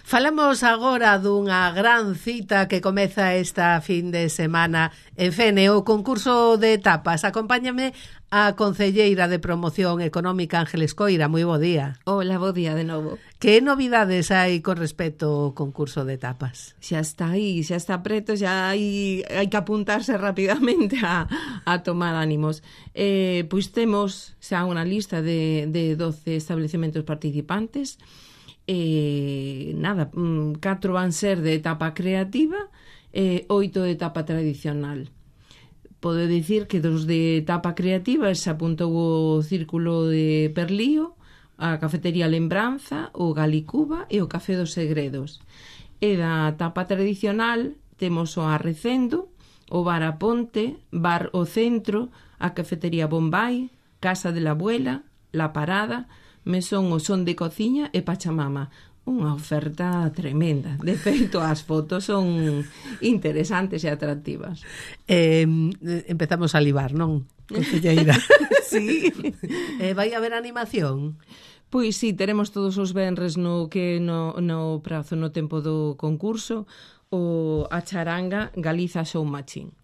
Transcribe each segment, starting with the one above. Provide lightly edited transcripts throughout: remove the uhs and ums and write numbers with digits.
Falamos agora dunha gran cita que comeza esta fin de semana en Fene, o concurso de tapas. Acompáñame a concelleira de Promoción Económica, Ángeles Coira. Moi bo día. Hola, bo día de novo. Que novidades hai con respecto ao concurso de tapas? Xa está aí, xa está preto, xa hai que apuntarse rapidamente a tomar ánimos. Pois temos xa unha lista de 12 establecementos participantes. 4 van ser de etapa creativa e 8 de etapa tradicional. Podo dicir que dos de etapa creativa se apuntou o Círculo de Perlío, a Cafetería Lembranza, o Galicuba e o Café dos Segredos. E da etapa tradicional temos o Arrecendo, o Bar a Ponte, Bar o Centro, a Cafetería Bombay, Casa de la Abuela, La Parada, Mesón o Son de Cociña e Pachamama. Unha oferta tremenda. De feito, as fotos son interesantes e atractivas. Empezamos a libar, non? Concelleira. Sí. Vai haber animación? Pois sí, teremos todos os venres no prazo, no tempo do concurso, a charanga Galiza Show Machine.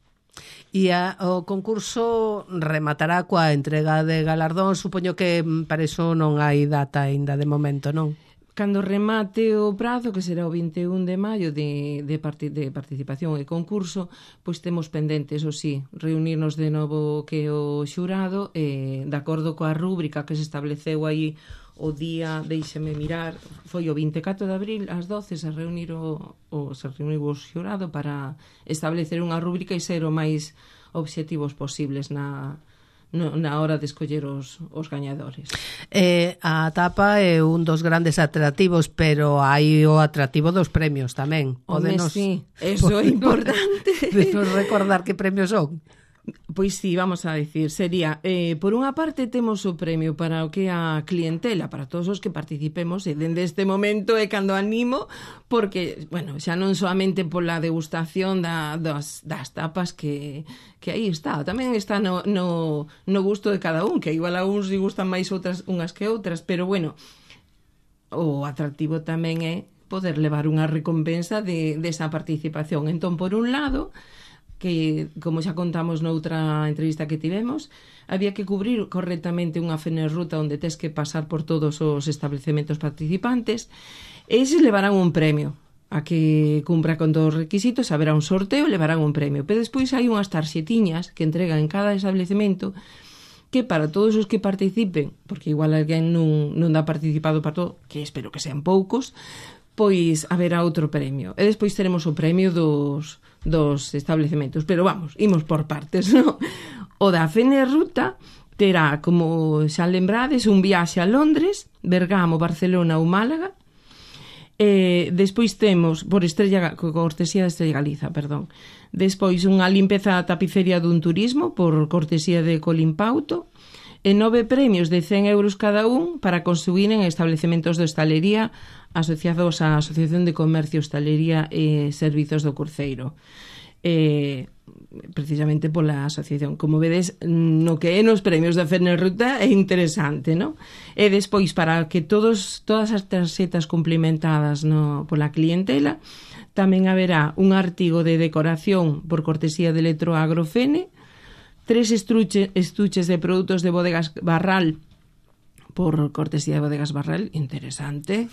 E o concurso rematará coa entrega de galardón. Supoño que para iso non hai data aínda de momento, non? Cando remate o prazo, que será o 21 de maio de participación e concurso, pois temos pendentes, o sí, reunirnos de novo que o xurado, de acordo coa rúbrica que se estableceu aí o día, deixeme mirar, foi o 24 de abril ás 12, se reuniu o xurado para establecer unha rúbrica e ser o máis obxectivos posibles na hora de escoller os gañadores. A tapa é un dos grandes atractivos, pero hai o atractivo dos premios tamén. Sí, eso é importante. Podenos recordar que premios son? Pois sí, vamos a decir, sería, por unha parte temos o premio para o que a clientela, para todos os que participemos, e dende este momento é cando animo, porque, bueno, xa non solamente pola degustación das tapas que aí está, tamén está no gusto de cada un, que igual a uns lle gustan máis unhas que outras, pero bueno, o atractivo tamén é poder levar unha recompensa desa participación. Entón, por un lado, que, como xa contamos noutra entrevista que tivemos, había que cubrir correctamente unha fenerruta onde tes que pasar por todos os establecementos participantes, e eses levarán un premio. A que cumpra con todos os requisitos haberá un sorteo e levarán un premio. Pero despois hai unhas tarxetiñas que entregan en cada establecemento que para todos os que participen, porque igual alguén non dá participado para todo, que espero que sean poucos, pois haberá outro premio. E despois teremos o premio dos establecementos. Pero vamos, imos por partes, non? O da Fenerruta terá, como xa lembrades, un viaxe a Londres, Bergamo, Barcelona ou Málaga. Despois temos, por cortesía de Estrella Galiza, perdón. Despois unha limpeza da tapicería dun turismo, por cortesía de Colimpauto. E 9 premios de 100 euros cada un para construir en establecementos de hostalería asociados á Asociación de Comercio, Hostalería e Servizos do Cruceiro. Precisamente pola asociación. Como vedes, no que é nos premios da Fenerruta é interesante, non? E despois, para que todas as tarxetas cumplimentadas pola clientela, tamén haberá un artigo de decoración por cortesía de Electroagro Fene, 3 estuches de produtos de Bodegas Barral por cortesía de Bodegas Barral, interesante.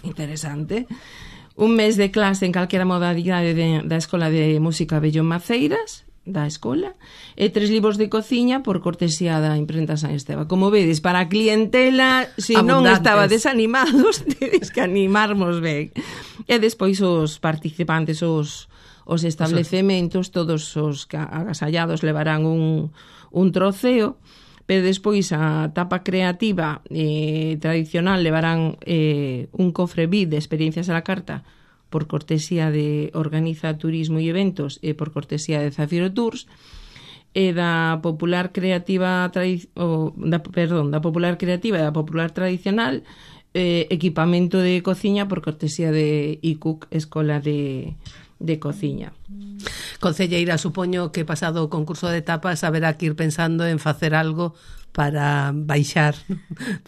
Un mes de clase en calquera modalidade da Escola de Música Bellón Maceiras, da escola, e 3 libros de cociña por cortesía da imprenta San Esteban. Como vedes, para a clientela, se non estaba desanimados, tedes que animarmos ben. E despois os participantes, os establecementos, todos os agasallados levarán un troceo, pero despois a tapa creativa tradicional levarán un cofre VIP de experiencias a la carta por cortesía de Organiza Turismo e Eventos e por cortesía de Zafiro Tours, e da popular creativa da popular creativa e da popular tradicional equipamento de cociña por cortesía de ICUC, Escola de cociña. Concelleira, supoño que pasado o concurso de tapas haberá que ir pensando en facer algo para baixar,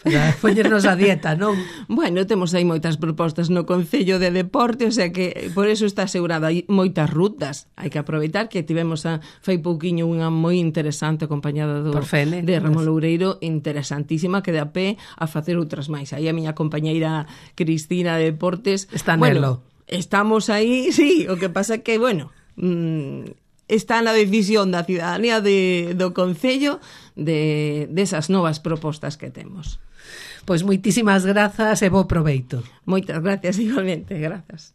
para poñernos a dieta, non? Bueno, temos aí moitas propostas no Concello de Deporte, o sea que por eso está asegurada moitas rutas. Hai que aproveitar que tivemos fai pouquiño unha moi interesante acompañada de Ramón Loureiro, interesantísima, que dá pé a facer outras máis. Aí a miña compañeira Cristina de Deportes está nelo. Estamos aí, sí, o que pasa que, bueno, está na decisión da ciudadanía do Concello desas novas propostas que temos. Pois moitísimas grazas e bo proveito. Moitas gracias, igualmente, grazas.